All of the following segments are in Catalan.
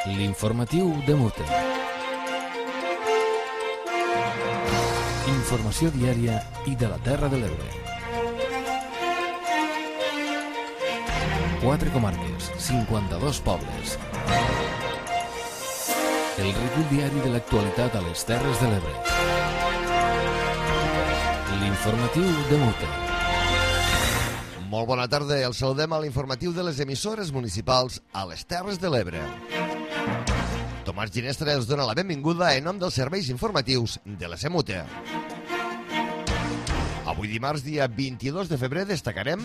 L'informatiu de Mute. Informació diària i de la Terra de l'Ebre. 4 comarques, 52 pobles. El recull diari de l'actualitat a les Terres de l'Ebre. L'informatiu de Mute. Molt bona tarda, el saludem a l'informatiu de les emissores municipals a les Terres de l'Ebre. Tomàs Ginestra els dona la benvinguda en nom dels serveis informatius de la SEMUTE. Avui dimarts, dia 22 de febrer, destacarem: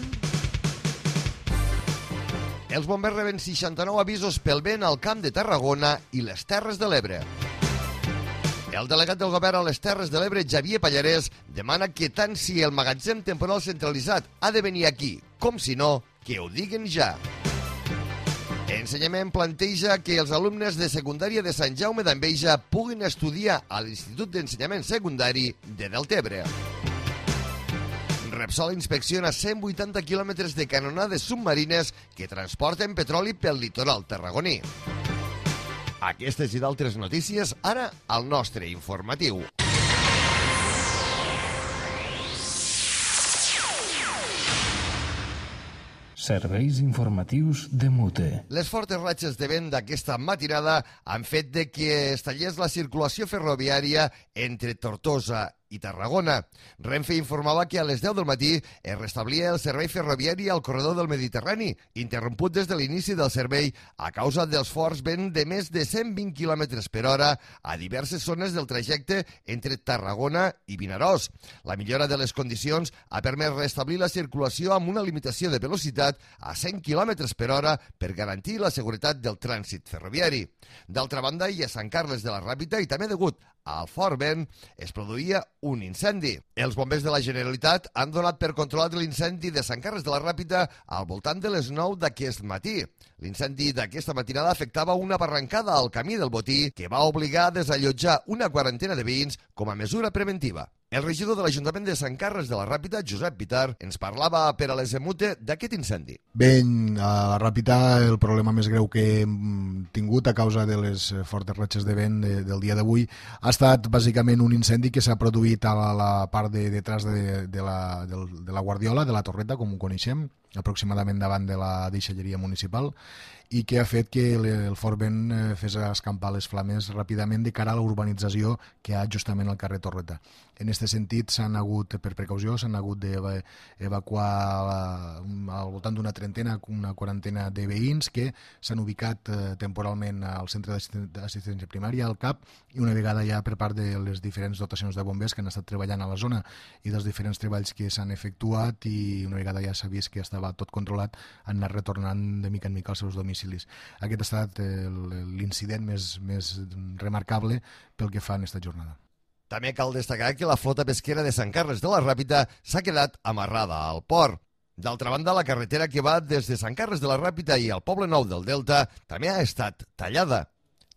els bombers reben 69 avisos pel vent al Camp de Tarragona i les Terres de l'Ebre. El delegat del govern a les Terres de l'Ebre, Xavier Pallarès, demana que tant si el magatzem temporal centralitzat ha de venir aquí, com si no, que ho diguen ja. Ensenyament planteja que els alumnes de secundària de Sant Jaume d'Enveja puguin estudiar a l'Institut d'Ensenyament Secundari de Deltebre. Repsol inspecciona 180 quilòmetres de canonades submarines que transporten petroli pel litoral tarragoní. Aquestes i d'altres notícies ara al nostre informatiu. Serveis informatius de Mute. Les fortes ratxes de vent d'aquesta matinada han fet que es tallés la circulació ferroviària entre Tortosa i Tarragona. Renfe informava que a les 10 del matí es restablia el servei ferroviari al corredor del Mediterrani, interromput des de l'inici del servei a causa dels forts vents de més de 120 km per hora a diverses zones del trajecte entre Tarragona i Vinaròs. La millora de les condicions ha permès restablir la circulació amb una limitació de velocitat a 100 km per hora per garantir la seguretat del trànsit ferroviari. D'altra banda, i a Sant Carles de la Ràpita, i també degut al fort vent, es produïa un incendi. Els bombers de la Generalitat han donat per controlat l'incendi de Sant Carles de la Ràpita al voltant de les 9 d'aquest matí. L'incendi d'aquesta matinada afectava una barrancada al camí del Botí que va obligar a desallotjar una quarantena de veïns com a mesura preventiva. El regidor de l'Ajuntament de Sant Carles de la Ràpita, Josep Pitar, ens parlava per a les EMUTE d'aquest incendi. Bé, a la Ràpita el problema més greu que hem tingut a causa de les fortes ratxes de vent del dia d'avui ha estat bàsicament un incendi que s'ha produït a la part de detrás de la Guardiola, de la Torreta, com ho coneixem, aproximadament davant de la deixalleria municipal, i que ha fet que el fort vent fes escampar les flames ràpidament de cara a la urbanització que hi ha justament al carrer Torreta. En aquest sentit, per precaució, s'han hagut d'evacuar al voltant d'una trentena, una quarantena de veïns que s'han ubicat temporalment al centre d'assistència primària, al CAP, i una vegada ja per part de les diferents dotacions de bombers que han estat treballant a la zona i dels diferents treballs que s'han efectuat, i una vegada ja s'ha vist que estava tot controlat, han anat retornant de mica en mica als seus domicilis. Aquest ha estat l'incident més remarcable pel que fa en aquesta jornada. També cal destacar que la flota pesquera de Sant Carles de la Ràpita s'ha quedat amarrada al port. D'altra banda, la carretera que va des de Sant Carles de la Ràpita i al Poble Nou del Delta també ha estat tallada.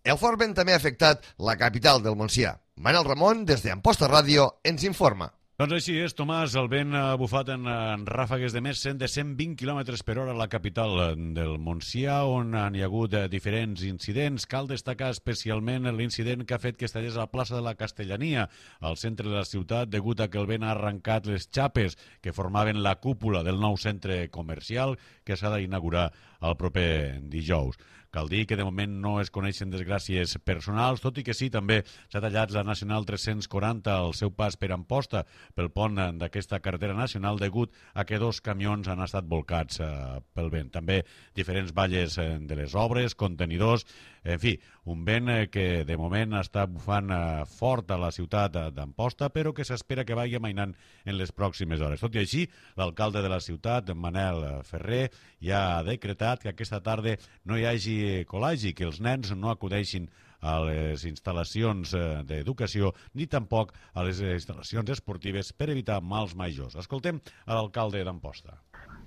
El fort vent també ha afectat la capital del Montsià. Manel Ramon, des d'Amposta Ràdio, ens informa. Doncs així és, Tomàs, el vent ha bufat en ràfegues de més de 120 km per hora a la capital del Montsià, on hi ha hagut diferents incidents. Cal destacar especialment l'incident que ha fet que es tallés a la plaça de la Castellania, al centre de la ciutat, degut a que el vent ha arrencat les xapes que formaven la cúpula del nou centre comercial que s'ha d'inaugurar el proper dijous. Cal dir que de moment no es coneixen desgràcies personals, tot i que sí, també s'ha tallat la Nacional 340 al seu pas per Amposta pel pont d'aquesta carretera nacional degut a que 2 camions han estat volcats pel vent. També diferents valles de les obres, contenidors, en fi, un vent que de moment està bufant fort a la ciutat d'Amposta, però que s'espera que vagi amainant en les pròximes hores. Tot i així, l'alcalde de la ciutat, Manel Ferrer, ja ha decretat que aquesta tarda no hi hagi col·legi, que els nens no acudeixin a les instal·lacions d'educació ni tampoc a les instal·lacions esportives per evitar mals majors. Escoltem a l'alcalde d'Amposta.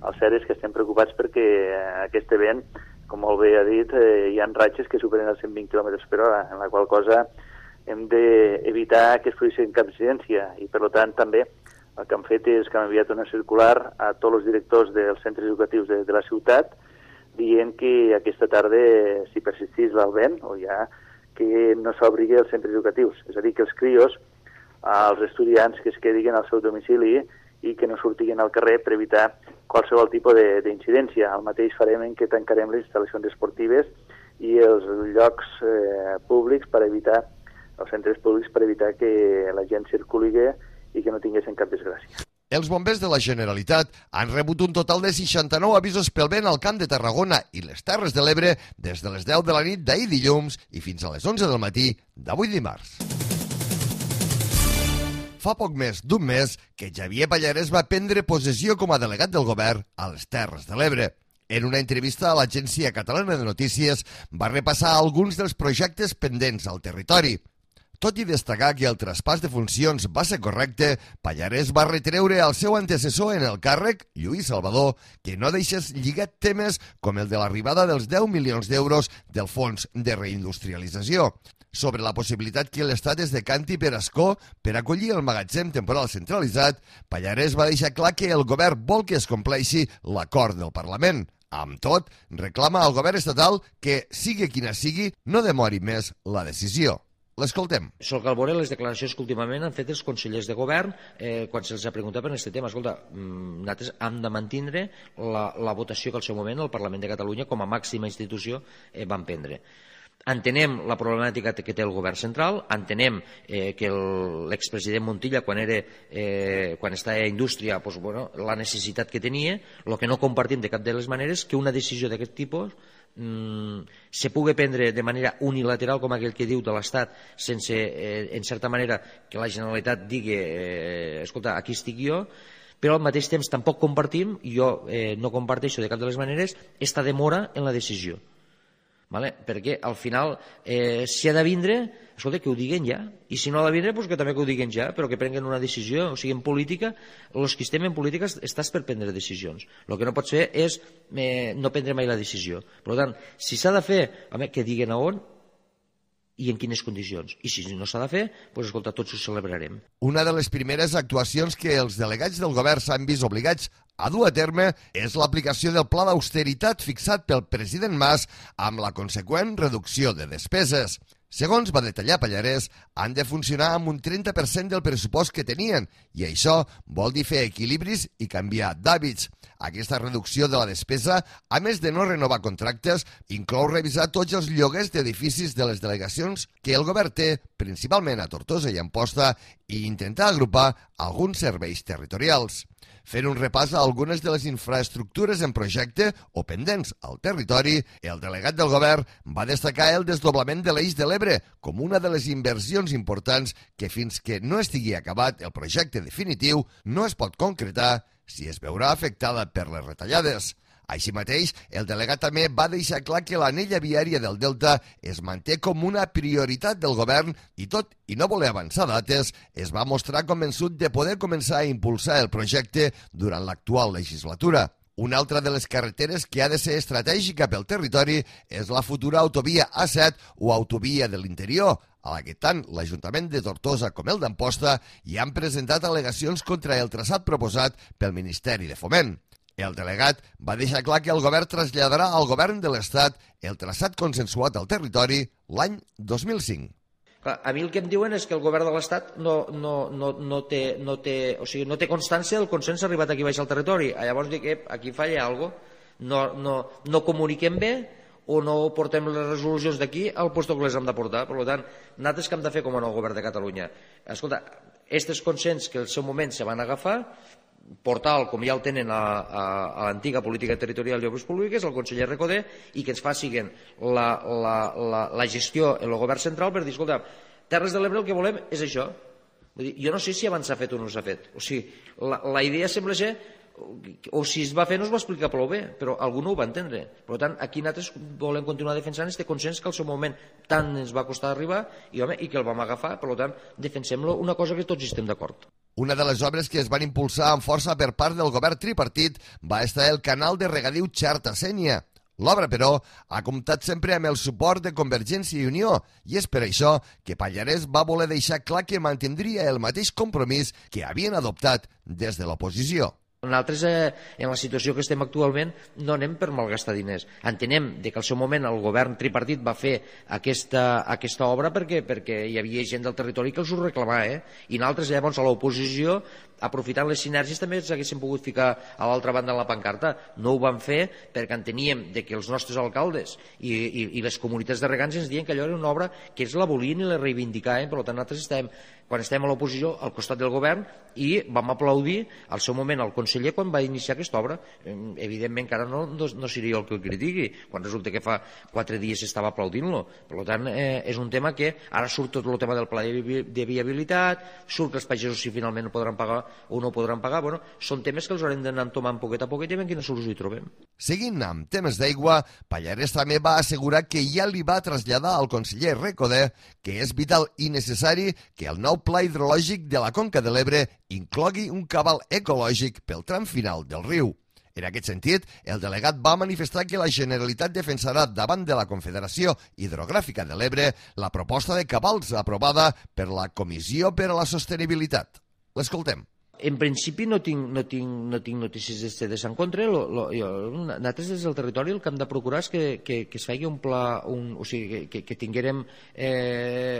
El cert és que estem preocupats perquè aquest event, com molt bé ha dit, hi ha ratxes que superen els 120 km per hora, en la qual cosa hem d'evitar que es produeixi cap incidència i, per tant, també el que han fet és que han enviat una circular a tots els directors dels centres educatius de la ciutat dient que aquesta tarda, si persistís el vent, o ja que no s'obrigui els centres educatius. És a dir, que els crios, els estudiants que es quedin al seu domicili i que no sortiguin al carrer per evitar qualsevol tipus d'incidència. El mateix farem en què tancarem les instal·lacions esportives i els llocs públics per evitar, els centres públics per evitar que la gent circuli i que no tinguessin cap desgràcia. Els bombers de la Generalitat han rebut un total de 69 avisos pel vent al Camp de Tarragona i les Terres de l'Ebre des de les 10 de la nit d'ahir dilluns i fins a les 11 del matí d'avui dimarts. Fa poc més d'un mes que Xavier Pallarès va prendre possessió com a delegat del govern a les Terres de l'Ebre. En una entrevista a l'Agència Catalana de Notícies va repassar alguns dels projectes pendents al territori. Tot i destacar que el traspàs de funcions va ser correcte, Pallarès va retreure al seu antecessor en el càrrec, Lluís Salvador, que no deixés lligat temes com el de l'arribada dels 10 milions d'euros del Fons de Reindustrialització. Sobre la possibilitat que l'Estat es decanti per Ascó per acollir el magatzem temporal centralitzat, Pallarès va deixar clar que el govern vol que es compleixi l'acord del Parlament. Amb tot, reclama al govern estatal que, sigui quina sigui, no demori més la decisió. L'escoltem. Sol cal veure les declaracions que últimament han fet els consellers de govern quan se'ls ha preguntat per aquest tema. Escolta, nosaltres hem de mantenir la votació que al seu moment el Parlament de Catalunya com a màxima institució van prendre. Entenem la problemàtica que té el govern central, entenem que l'expresident Montilla, quan estava a Indústria, la necessitat que tenia. El que no compartim de cap de les maneres que una decisió d'aquest tipus se pugui prendre de manera unilateral, com aquell que diu de l'Estat, sense, en certa manera, que la Generalitat digui escolta, aquí estic jo, però al mateix temps tampoc compartim, jo no comparteixo de cap de les maneres, esta demora en la decisió. Vale? Perquè al final si ha de vindre, escolta, que ho diguen ja, i si no ha de vindre, doncs que també que ho diguen ja, però que prenguen una decisió. O sigui, en política, els que estem en política estàs per prendre decisions. El que no pot fer és no prendre mai la decisió. Per tant, si s'ha de fer, que diguen a on i en quines condicions. I si no s'ha de fer, doncs escolta, tots ho celebrarem. Una de les primeres actuacions que els delegats del govern s'han vist obligats a dur a terme és l'aplicació del pla d'austeritat fixat pel president Mas amb la conseqüent reducció de despeses. Segons va detallar Pallarès, han de funcionar amb un 30% del pressupost que tenien i això vol dir fer equilibris i canviar d'hàbits. Aquesta reducció de la despesa, a més de no renovar contractes, inclou revisar tots els lloguers d'edificis de les delegacions que el govern té, principalment a Tortosa i Amposta, i intentar agrupar alguns serveis territorials. Fent un repàs a algunes de les infraestructures en projecte o pendents al territori, el delegat del govern va destacar el desdoblament de l'Eix de l'Ebre com una de les inversions importants que fins que no estigui acabat el projecte definitiu no es pot concretar si es veurà afectada per les retallades. Així mateix, el delegat també va deixar clar que l'anella viària del Delta es manté com una prioritat del govern i tot i no voler avançar dates, es va mostrar convençut de poder començar a impulsar el projecte durant l'actual legislatura. Una altra de les carreteres que ha de ser estratègica pel territori és la futura autovia A7 o autovia de l'interior, a la que tant l'Ajuntament de Tortosa com el d'Amposta hi han presentat al·legacions contra el traçat proposat pel Ministeri de Foment. El delegat va deixar clar que el govern traslladarà al govern de l'Estat el traçat consensuat al territori l'any 2005. A mi el que em diuen és que el govern de l'Estat no té constància del consens arribat aquí baix al territori. Llavors dic que aquí falla alguna cosa. No comuniquem bé o no portem les resolucions d'aquí al lloc que les hem de portar. Per tant, nosaltres què hem de fer com a nou govern de Catalunya? Escolta, aquests consens que al seu moment se van agafar, portal, com ja el tenen a l'antiga política territorial i obres públiques, el conseller Recoder, i que ens facin la gestió en el govern central per dir, escolta, Terres de l'Ebre el que volem és això. Vull dir, jo no sé si abans s'ha fet o no s'ha fet. O sigui, la idea sembla ser, o si es va fer no es va explicar prou bé, però algú no ho va entendre. Per tant, aquí nosaltres volem continuar defensant aquest consens que al seu moment tant ens va costar arribar i que el vam agafar. Per tant, defensem-lo, una cosa que tots estem d'acord. Una de les obres que es van impulsar amb força per part del govern tripartit va estar el canal de regadiu Xarta-Sénia. L'obra, però, ha comptat sempre amb el suport de Convergència i Unió i és per això que Pallarès va voler deixar clar que mantindria el mateix compromís que havien adoptat des de l'oposició. Nosaltres, en la situació que estem actualment, no anem per malgastar diners. Entenem que al seu moment el govern tripartit va fer aquesta obra perquè hi havia gent del territori que els ho reclamava, i nosaltres llavors a l'oposició, aprofitant les sinergies, també ens haguéssim pogut ficar a l'altra banda en la pancarta. No ho vam fer perquè enteníem que els nostres alcaldes i les comunitats de regants ens diuen que allò era una obra que ells la volien i la reivindicaven. Per tant, nosaltres quan estem a l'oposició al costat del govern, i vam aplaudir al seu moment al conseller quan va iniciar aquesta obra. Evidentment que ara no seria el que el critiqui, quan resulta que fa 4 dies estava aplaudint-lo. Per tant, és un tema que ara surt tot el tema del pla de viabilitat, surt que els pagesos si finalment no podran pagar o no podran pagar. Bueno, són temes que els haurem d'anar tomant poquet a poquet i veure quina solució hi trobem. Seguint amb temes d'aigua, Pallarès també va assegurar que ja li va traslladar al conseller Recoder que és vital i necessari que el nou pla hidrològic de la Conca de l'Ebre inclogui un cabal ecològic pel tram final del riu. En aquest sentit, el delegat va manifestar que la Generalitat defensarà davant de la Confederació Hidrogràfica de l'Ebre la proposta de cabals aprovada per la Comissió per a la Sostenibilitat. L'escoltem. En principi no tinc notícies de en contra. Nosaltres des del territori el que hem de procurar és que es faci un pla, o sigui, que tinguérem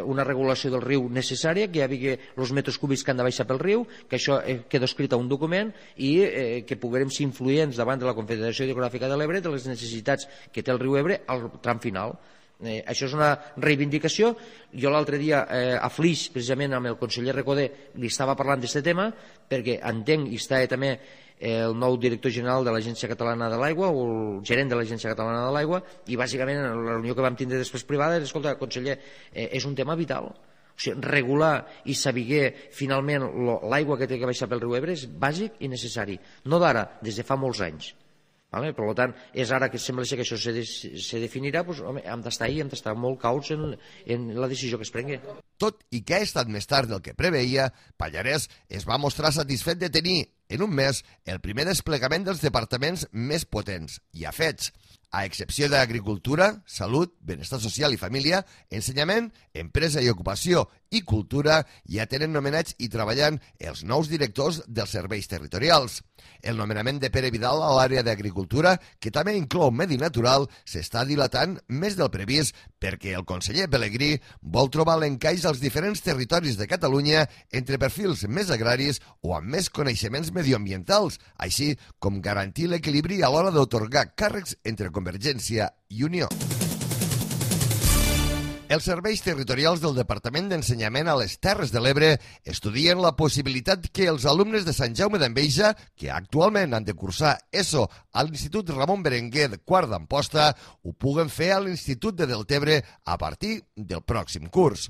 una regulació del riu necessària, que hi hagi els metres cúbics que han de baixar pel riu, que això queda escrit a un document i que puguem ser influents davant de la Confederació Hidrogràfica de l'Ebre de les necessitats que té el riu Ebre al tram final. Això és una reivindicació. Jo l'altre dia a Flix, precisament amb el conseller Recoder, li estava parlant d'aquest tema, perquè entenc, i està també el nou director general de l'Agència Catalana de l'Aigua o el gerent de l'Agència Catalana de l'Aigua, i bàsicament en la reunió que vam tindre després privada, escolta, conseller, és un tema vital. O sigui, regular i saber finalment l'aigua que té que baixar pel riu Ebre és bàsic i necessari. No d'ara, des de fa molts anys. Per tant, és ara que sembla que això se definirà, doncs, home, hem d'estar molt cauts en la decisió que es prengui. Tot i que ha estat més tard del que preveia, Pallarès es va mostrar satisfet de tenir, en un mes, el primer desplegament dels departaments més potents i afets, a excepció d'Agricultura, Salut, Benestar Social i Família, Ensenyament, Empresa i Ocupació i Cultura, ja tenen nomenats i treballant els nous directors dels serveis territorials. El nomenament de Pere Vidal a l'àrea d'Agricultura, que també inclou Medi Natural, s'està dilatant més del previst perquè el conseller Pelegrí vol trobar l'encaix als diferents territoris de Catalunya entre perfils més agraris o amb més coneixements medioambientals, així com garantir l'equilibri a l'hora d'atorgar càrrecs entre Convergència i Unió. Els serveis territorials del Departament d'Ensenyament a les Terres de l'Ebre estudien la possibilitat que els alumnes de Sant Jaume d'Enveja, que actualment han de cursar ESO a l'Institut Ramon Berenguer de Quart d'Amposta, ho puguen fer a l'Institut de Deltebre a partir del pròxim curs.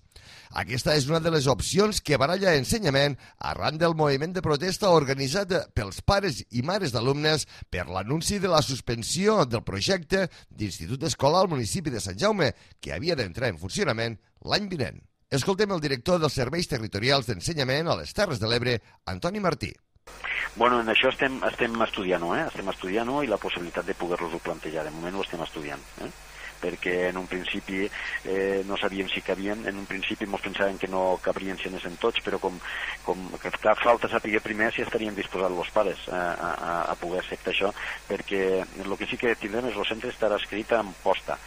Aquesta és una de les opcions que baralla Ensenyament arran del moviment de protesta organitzat pels pares i mares d'alumnes per l'anunci de la suspensió del projecte d'Institut Escolar al municipi de Sant Jaume, que havia d'entrar en funcionament l'any vinent. Escoltem el director dels Serveis Territorials d'Ensenyament a les Terres de l'Ebre, Antoni Martí. Bueno, en això estem estudiant-ho, estem estudiant-ho i la possibilitat de poder-los-ho plantejar. De moment ho estem estudiant, perquè en un principi no sabíem si cabien, en un principi ens pensàvem que no cabrien si anessin tots, però com que falta saber primer si estarien disposats els pares a poder acceptar això, perquè el que sí que tindrem és el centre estarà escrit en posta,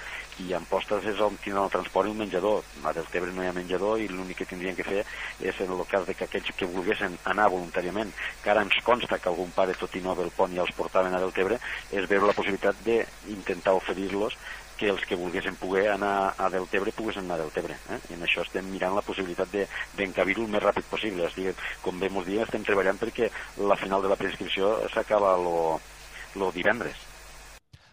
i en postes és on tindran el transport i un menjador. A Deltebre no hi ha menjador i l'únic que tindrien que fer és, en el cas de que aquells que volguessin anar voluntàriament, que ara ens consta que algun pare, tot i no del pont, ja els portaven a Deltebre, és veure la possibilitat d'intentar oferir-los que els que volguessin poder anar a Deltebre poguessin anar a Deltebre. I en això estem mirant la possibilitat d'encabir-ho el més ràpid possible. Com bé ens diuen, estem treballant perquè la final de la preinscripció s'acaba el divendres.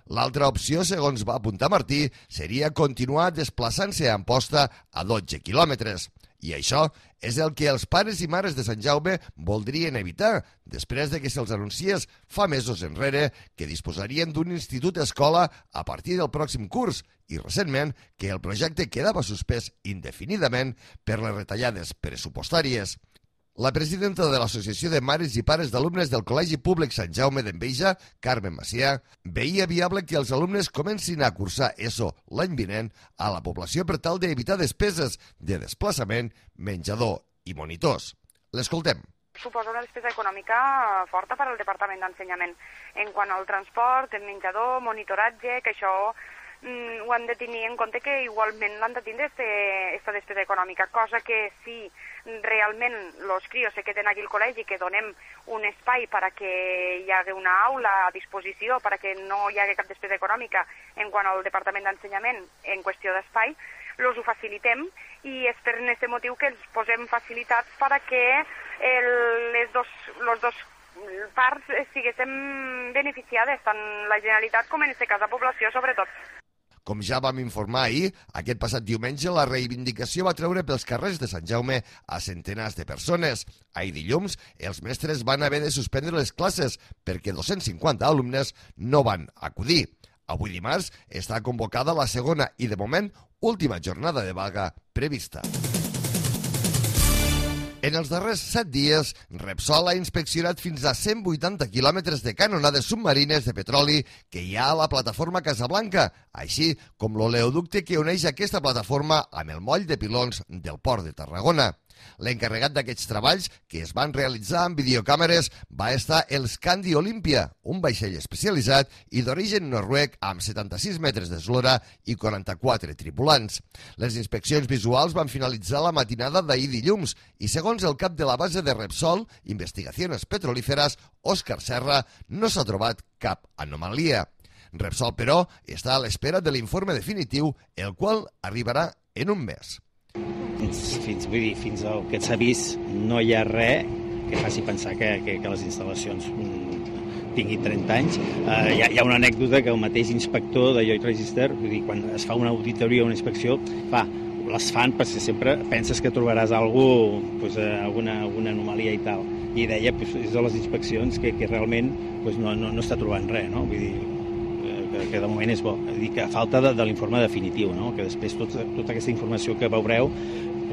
L'altra opció, segons va apuntar Martí, seria continuar desplaçant-se a Amposta a 12 quilòmetres. I això és el que els pares i mares de Sant Jaume voldrien evitar, després de que se'ls anunciés fa mesos enrere que disposarien d'un institut escola a partir del pròxim curs i recentment que el projecte quedava suspès indefinidament per les retallades pressupostàries. La presidenta de l'Associació de Mares i Pares d'Alumnes del Col·legi Públic Sant Jaume d'Enveja, Carmen Macià, veia viable que els alumnes comencin a cursar ESO l'any vinent a la població per tal d'evitar despeses de desplaçament, menjador i monitors. L'escoltem. suposa una despesa econòmica forta per al Departament d'Ensenyament. En quant al transport, el menjador, monitoratge, que això ho han de tenir en compte que igualment l'han de tindre aquesta despesa econòmica, cosa que si realment els crios se queden aquí al col·legi, que donem un espai per a que hi hagi una aula a disposició, per a que no hi hagi cap despesa econòmica en quant al Departament d'Ensenyament en qüestió d'espai, els ho facilitem i és per aquest motiu que els posem facilitats per a que les dos parts siguessin beneficiades, tant la Generalitat com en aquest cas la població sobretot. Com ja vam informar ahir, aquest passat diumenge la reivindicació va treure pels carrers de Sant Jaume a centenars de persones. Ahir dilluns, els mestres van haver de suspendre les classes perquè 250 alumnes no van acudir. Avui dimarts està convocada la segona i, de moment, última jornada de vaga prevista. En els darrers 7 dies, Repsol ha inspeccionat fins a 180 quilòmetres de canonades submarines de petroli que hi ha a la plataforma Casablanca, així com l'oleoducte que uneix aquesta plataforma amb el moll de pilons del port de Tarragona. L'encarregat d'aquests treballs, que es van realitzar amb videocàmeres, va estar el Scandi Olympia, un vaixell especialitzat i d'origen noruec amb 76 metres d'eslora i 44 tripulants. Les inspeccions visuals van finalitzar la matinada d'ahir dilluns i, segons el cap de la base de Repsol, Investigaciones Petrolíferas, Òscar Serra, no s'ha trobat cap anomalia. Repsol, però, està a l'espera de l'informe definitiu, el qual arribarà en un mes. Fins al que s'ha vist no hi ha res que faci pensar que les instal·lacions tinguin 30 anys. Hi ha una anècdota que el mateix inspector de Lloyd Register, vull dir, quan es fa una auditoria o una inspecció, les fan perquè sempre penses que trobaràs alguna anomalia i tal. I deia, és de les inspeccions que realment no està trobant res, no? Vull dir, que de moment és bo. Dir que a falta de l'informe definitiu, no? Que després tota aquesta informació que veureu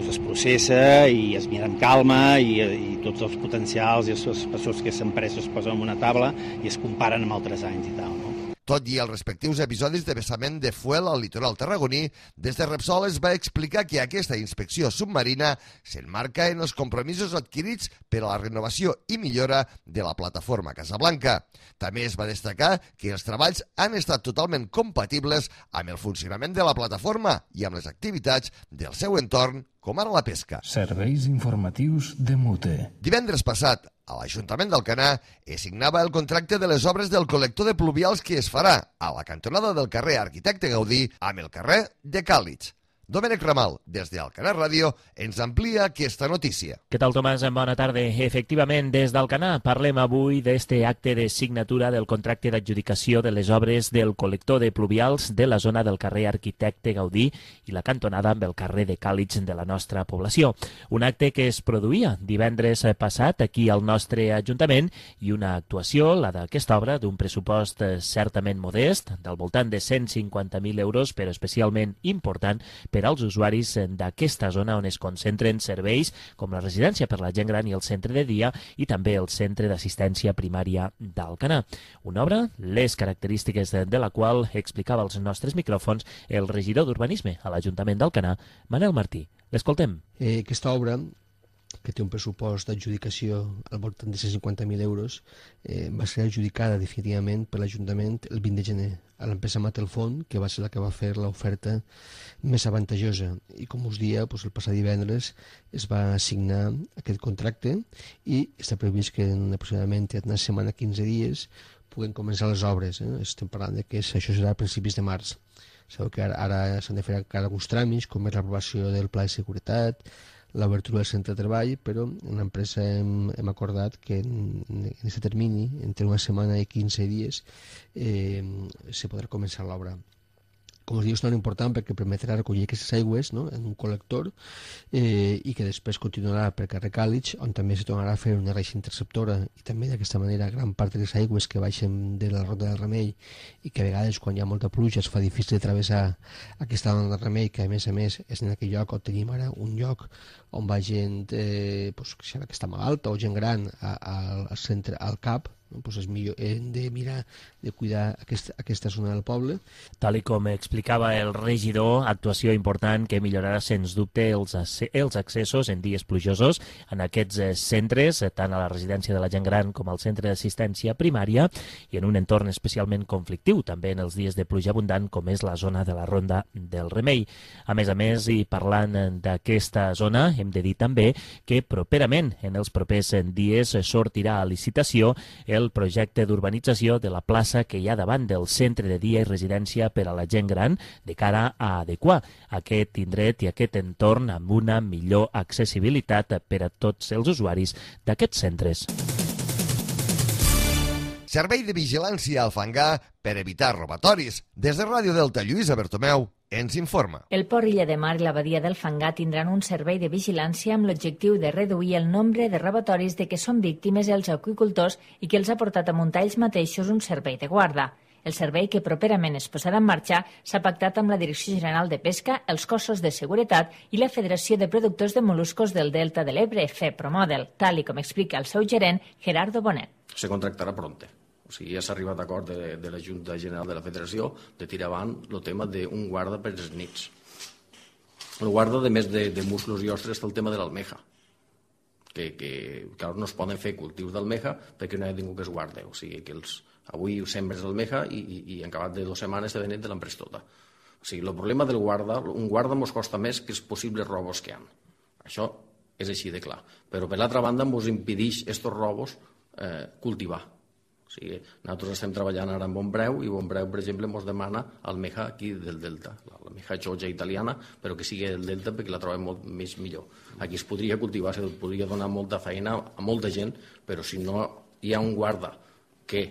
es processa i es mira amb calma i tots els potencials i els espessors que s'han pres es posen en una taula i es comparen amb altres anys i tal, no? Tot i els respectius episodis de vessament de fuel al litoral tarragoní, des de Repsol es va explicar que aquesta inspecció submarina s'enmarca en els compromisos adquirits per a la renovació i millora de la plataforma Casablanca. També es va destacar que els treballs han estat totalment compatibles amb el funcionament de la plataforma i amb les activitats del seu entorn, com ara la pesca. Serveis informatius de Mute. Divendres passat, a l'Ajuntament d'Alcanar es signava el contracte de les obres del col·lector de pluvials que es farà a la cantonada del carrer Arquitecte Gaudí amb el carrer de Càlix. Domènec Ramal, des d'Alcanar Ràdio, ens amplia aquesta notícia. Què tal, Tomàs? Bona tarda. Efectivament, des d'Alcanar parlem avui d'este acte de signatura del contracte d'adjudicació de les obres del col·lector de pluvials de la zona del carrer Arquitecte Gaudí i la cantonada amb el carrer de Càlix de la nostra població. Un acte que es produïa divendres passat aquí al nostre Ajuntament i una actuació, la d'aquesta obra, d'un pressupost certament modest, del voltant de 150.000 euros, però especialment important per als usuaris d'aquesta zona on es concentren serveis com la residència per la gent gran i el centre de dia i també el centre d'assistència primària d'Alcanar. Una obra, les característiques de la qual explicava als nostres micròfons el regidor d'Urbanisme a l'Ajuntament d'Alcanar, Manel Martí. L'escoltem. Aquesta obra, que té un pressupost d'adjudicació al voltant de 150.000 euros, va ser adjudicada definitivament per l'Ajuntament el 20 de gener a l'empresa Matelfont, que va ser la que va fer l'oferta més avantajosa. I com us dia, el passat divendres es va signar aquest contracte i està previst que en aproximadament una setmana, 15 dies, puguem començar les obres. Estem parlant que això serà a principis de març. Sabeu que ara s'han de fer alguns tràmits, com és l'aprovació del pla de seguretat, l'obertura del centre de treball, però en l'empresa hem acordat que en aquest termini, entre una setmana i 15 dies, se podrà començar l'obra. Com us diu, és molt important perquè permetrà recollir aquestes aigües, no?, en un col·lector i que després continuarà per carrer Càlix, on també se tornarà a fer una reixa interceptora i també d'aquesta manera gran part de les aigües que baixen de la Ronda del Remei i que a vegades quan hi ha molta pluja es fa difícil de travessar aquesta Ronda del Remei, que a més és en aquell lloc on tenim ara un lloc on va gent que està malalta o gent gran al centre, al CAP, Doncs és millor, hem de mirar de cuidar aquesta zona del poble. Tal com explicava el regidor, actuació important que millorarà sens dubte els accessos en dies plujosos en aquests centres, tant a la residència de la gent gran com al centre d'assistència primària, i en un entorn especialment conflictiu, també en els dies de pluja abundant, com és la zona de la Ronda del Remei. A més, i parlant d'aquesta zona, hem de dir també que properament, en els propers dies, sortirà a licitació el projecte d'urbanització de la plaça que hi ha davant del centre de dia i residència per a la gent gran, de cara a adequar aquest indret i aquest entorn amb una millor accessibilitat per a tots els usuaris d'aquests centres. Servei de vigilància al fangar per evitar robatoris. Des de Ràdio Delta, Lluïsa Bertomeu ens informa. El Port Illa de Mar i la Badia del Fangar tindran un servei de vigilància amb l'objectiu de reduir el nombre de robatoris de què són víctimes els aqüicultors i que els ha portat a muntar ells mateixos un servei de guarda. El servei, que properament es posarà en marxa, s'ha pactat amb la Direcció General de Pesca, els cossos de seguretat i la Federació de Productors de Moluscos del Delta de l'Ebre, FEPROMODEL, tal com explica el seu gerent, Gerardo Bonet. Se contractarà pronte. O sigui, ja s'ha arribat a acord de la Junta General de la Federació de tirar avant el tema d'un guarda per les nits. El guarda, a més de musclos i ostres, està el tema de l'almeja, que clar, no es poden fer cultius d'almeja perquè no hi ha ningú que es guarda. O sigui, que avui sembres l'almeja i en acabat de 2 setmanes de nit te l'han pres tota. O sigui, el problema del guarda, un guarda ens costa més que els possibles robos que hi ha. Això és així de clar. Però per l'altra banda ens impedeix aquests robos cultivar. O sigui, nosaltres estem treballant ara amb Bonpreu i Bonpreu, per exemple, ens demana almeja aquí del Delta, l'almeja xoja italiana, però que sigui del Delta perquè la trobem molt més millor. Aquí es podria cultivar, se podria donar molta feina a molta gent, però si no hi ha un guarda que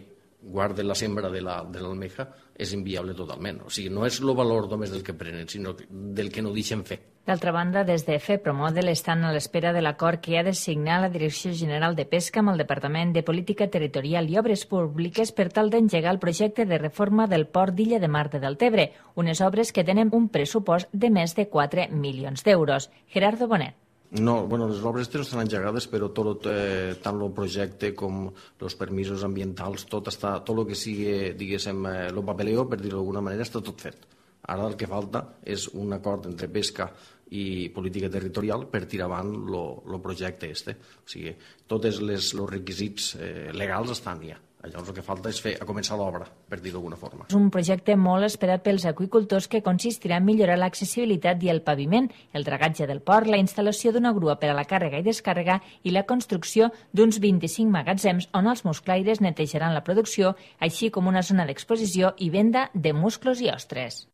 guarda la sembra de l'almeja, és inviable totalment. O sigui, no és el valor només del que prenen, sinó del que no deixen fer. D'altra banda, des de FEPROMODEL estan a l'espera de l'acord que ha de signar la Direcció General de Pesca amb el Departament de Política Territorial i Obres Públiques per tal d'engegar el projecte de reforma del port d'Illa de Mar de Deltebre, unes obres que tenen un pressupost de més de 4 milions d'euros. Gerardo Bonet. No, bueno, les obres no estan engegades, però tant el projecte com els permisos ambientals, tot el que sigui, diguéssim, el papeleo, per dir-ho d'alguna manera, està tot fet. Ara el que falta és un acord entre pesca i política territorial per tirar avant el projecte este. O sigui, tots els requisits legals estan ja. Llavors el que falta és començar l'obra, per dir-ho d'alguna forma. És un projecte molt esperat pels aqüicultors que consistirà en millorar l'accessibilitat i el paviment, el dragatge del port, la instal·lació d'una grua per a la càrrega i descàrrega i la construcció d'uns 25 magatzems on els musclaires netejaran la producció, així com una zona d'exposició i venda de musclos i ostres.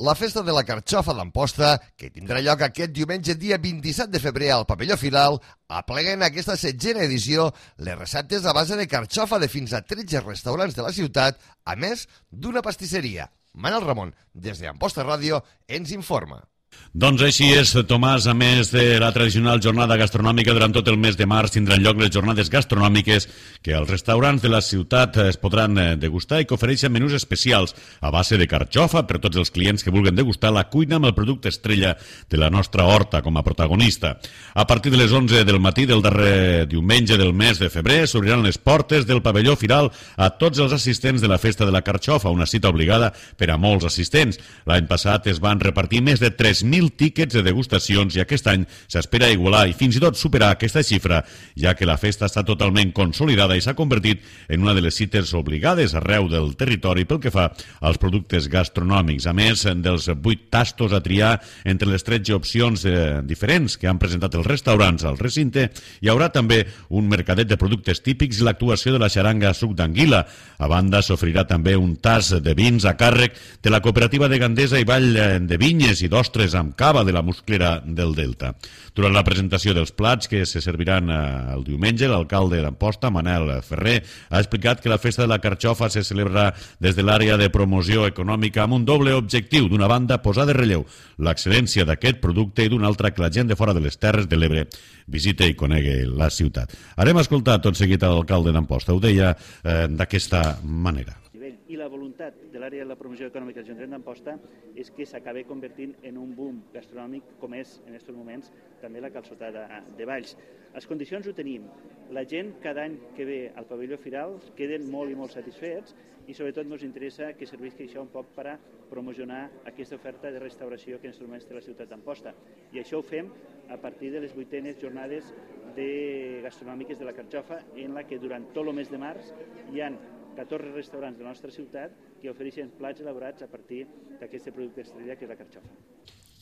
La Festa de la Carxofa d'Amposta, que tindrà lloc aquest diumenge dia 27 de febrer al Pavelló Firal, aplega en aquesta 7a edició les receptes a base de carxofa de fins a 13 restaurants de la ciutat, a més d'una pastisseria. Manel Ramon, des d'Amposta Ràdio, ens informa. Doncs així és, Tomàs. A més de la tradicional jornada gastronòmica, durant tot el mes de març tindran lloc les jornades gastronòmiques que als restaurants de la ciutat es podran degustar i que ofereixen menús especials a base de carxofa per tots els clients que vulguin degustar la cuina amb el producte estrella de la nostra horta com a protagonista. A partir de les 11 del matí del darrer diumenge del mes de febrer s'obriran les portes del Pavelló Firal a tots els assistents de la Festa de la Carxofa, una cita obligada per a molts assistents. L'any passat es van repartir més de 3.000 tíquets de degustacions i aquest any s'espera igualar i fins i tot superar aquesta xifra, ja que la festa està totalment consolidada i s'ha convertit en una de les cites obligades arreu del territori pel que fa als productes gastronòmics. A més dels 8 tastos a triar entre les 13 opcions diferents que han presentat els restaurants al recinte, hi haurà també un mercadet de productes típics i l'actuació de la xaranga suc d'anguila. A banda, s'oferirà també un tas de vins a càrrec de la Cooperativa de Gandesa i Vall de Vinyes i d'ostres amb cava de la Musclera del Delta. Durant la presentació dels plats que se serviran el diumenge, l'alcalde d'Amposta, Manel Ferrer, ha explicat que la Festa de la Carxofa se celebrarà des de l'àrea de promoció econòmica amb un doble objectiu. D'una banda, posar de relleu l'excel·lència d'aquest producte i d'una altra que la gent de fora de les Terres de l'Ebre visite i conegui la ciutat. Harem escoltar tot seguit a l'alcalde d'Amposta. Ho deia d'aquesta manera. I i la voluntat de l'àrea de la promoció econòmica de l'Ajuntament d'Amposta és que s'acabi convertint en un boom gastronòmic com és en aquests moments també la calçotada de Valls. Les condicions ho tenim. La gent cada any que ve al pavelló Firal queden molt i molt satisfets i sobretot ens interessa que servisqui això un poc per a promocionar aquesta oferta de restauració que en aquests moments té la ciutat d'Amposta. I això ho fem a partir de les 8enes jornades gastronòmiques de la Carxofa, en la que durant tot el mes de març hi ha 14 restaurants de la nostra ciutat que ofereixen plats elaborats a partir d'aquest producte estrella que és la Carxofa.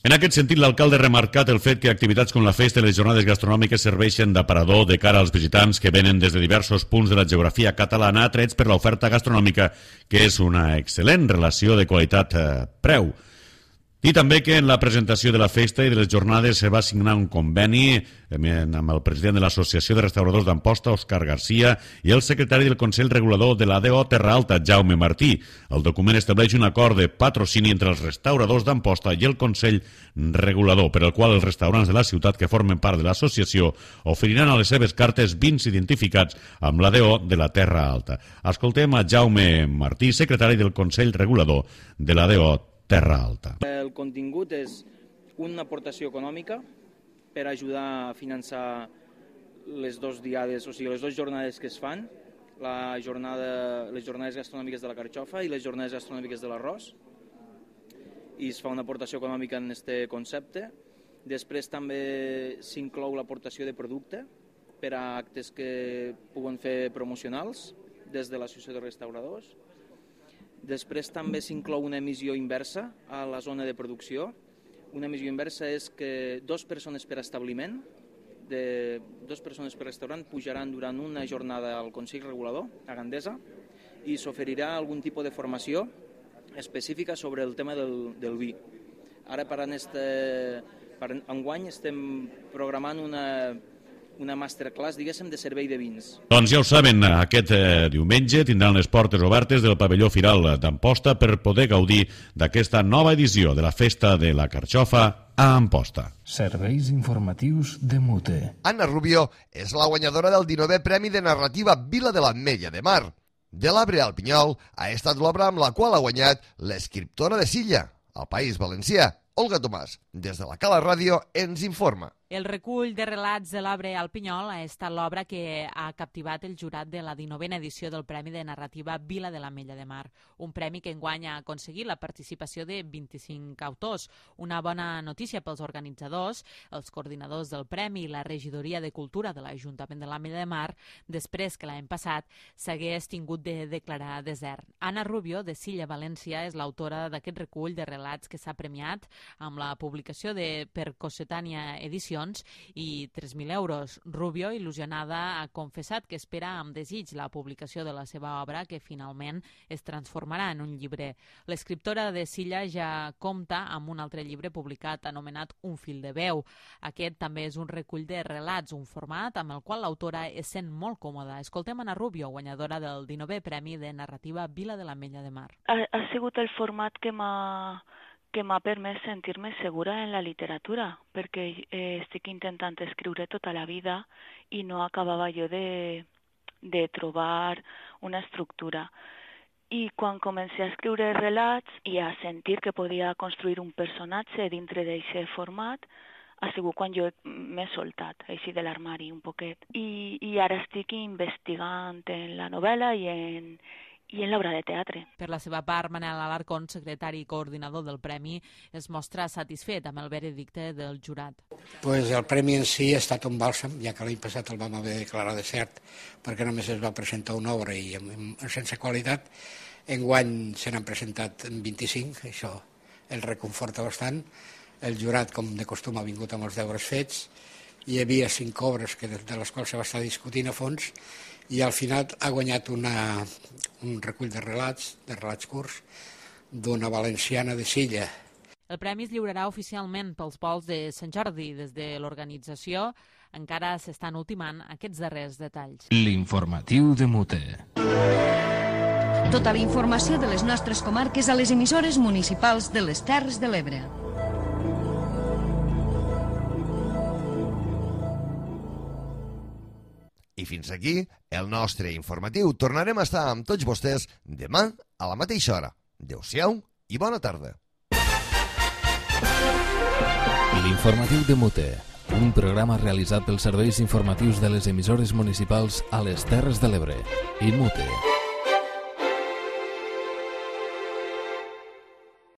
En aquest sentit, l'alcalde ha remarcat el fet que activitats com la festa i les jornades gastronòmiques serveixen d'aparador de cara als visitants que venen des de diversos punts de la geografia catalana atrets per l'oferta gastronòmica, que és una excel·lent relació de qualitat-preu. I també que en la presentació de la festa i de les jornades se va signar un conveni amb el president de l'Associació de Restauradors d'Amposta, Òscar Garcia, i el secretari del Consell Regulador de l'ADO Terra Alta, Jaume Martí. El document estableix un acord de patrocini entre els restauradors d'Amposta i el Consell Regulador, per el qual els restaurants de la ciutat que formen part de l'associació oferiran a les seves cartes vins identificats amb l'ADO de la Terra Alta. Escoltem a Jaume Martí, secretari del Consell Regulador de l'ADO Terra Alta. El contingut és una aportació econòmica per ajudar a finançar les dues diades, o sigui, les dues jornades que es fan, les jornades gastronòmiques de la Carxofa i les jornades gastronòmiques de l'arròs, i es fa una aportació econòmica en aquest concepte. Després també s'inclou l'aportació de producte per a actes que puguen fer promocionals des de l'Associació de Restauradors. Després també s'inclou una emissió inversa a la zona de producció. Una emissió inversa és que 2 persones per establiment, 2 persones per restaurant, pujaran durant una jornada al Consell Regulador, a Gandesa, i s'oferirà algun tipus de formació específica sobre el tema del vi. Ara, per enguany, estem programant una masterclass, diguéssim, de servei de vins. Doncs ja ho saben, aquest diumenge tindran les portes obertes del pavelló Firal d'Amposta per poder gaudir d'aquesta nova edició de la Festa de la Carxofa a Amposta. Serveis informatius de Mute. Anna Rubio és la guanyadora del 19è Premi de Narrativa Vila de l'Ametlla de Mar. De l'Arbre al Pinyol ha estat l'obra amb la qual ha guanyat l'escriptora de Silla, al País Valencià. Olga Tomàs, des de la Cala Ràdio, ens informa. El recull de relats de l'Arbre al Pinyol ha estat l'obra que ha captivat el jurat de la 19a edició del Premi de Narrativa Vila de l'Ametlla de Mar, un premi que enguany ha aconseguit la participació de 25 autors. Una bona notícia pels organitzadors, els coordinadors del Premi i la Regidoria de Cultura de l'Ajuntament de l'Ametlla de Mar, després que l'any passat s'hagués tingut de declarar desert. Anna Rubio, de Silla, València, és l'autora d'aquest recull de relats que s'ha premiat amb la publicació per Cossetània Edicions i 3.000 euros. Rubio, il·lusionada, ha confessat que espera amb desig la publicació de la seva obra, que finalment es transformarà en un llibre. L'escriptora de Silla ja compta amb un altre llibre publicat anomenat Un fil de veu. Aquest també és un recull de relats, un format amb el qual l'autora es sent molt còmoda. Escoltem Anna Rubio, guanyadora del 19è Premi de Narrativa Vila de l'Ametlla de Mar. Ha sigut el format que m'ha permès sentir-me segura en la literatura, perquè estic intentant escriure tota la vida i no acabava jo de trobar una estructura. I quan comencé a escriure relats i a sentir que podia construir un personatge dintre d'aquest format, ha sigut quan jo m'he soltat, així de l'armari un poquet. I ara estic investigant en la novel·la i en l'obra de teatre. Per la seva part, Manel Alarcón, secretari i coordinador del Premi, es mostra satisfet amb el veredicte del jurat. El Premi en si ha estat un bàlsam, ja que l'any passat el vam haver de declarar desert perquè només es va presentar una obra i sense qualitat. Enguany se n'han presentat 25, això el reconforta bastant. El jurat, com de costum, ha vingut amb els deures fets. Hi havia 5 obres de les quals se va estar discutint a fons i al final ha guanyat un recull de relats curts, d'una valenciana de Silla. El premi es lliurarà oficialment pels vols de Sant Jordi. Des de l'organització encara s'estan ultimant aquests darrers detalls. L'informatiu de Mute. Tota la informació de les nostres comarques a les emissores municipals de les Terres de l'Ebre. I fins aquí el nostre informatiu. Tornarem a estar amb tots vostès demà a la mateixa hora. Adéu-siau i bona tarda. L'informatiu de Mute, un programa realitzat pels serveis informatius de les emissores municipals a les Terres de l'Ebre i Mute.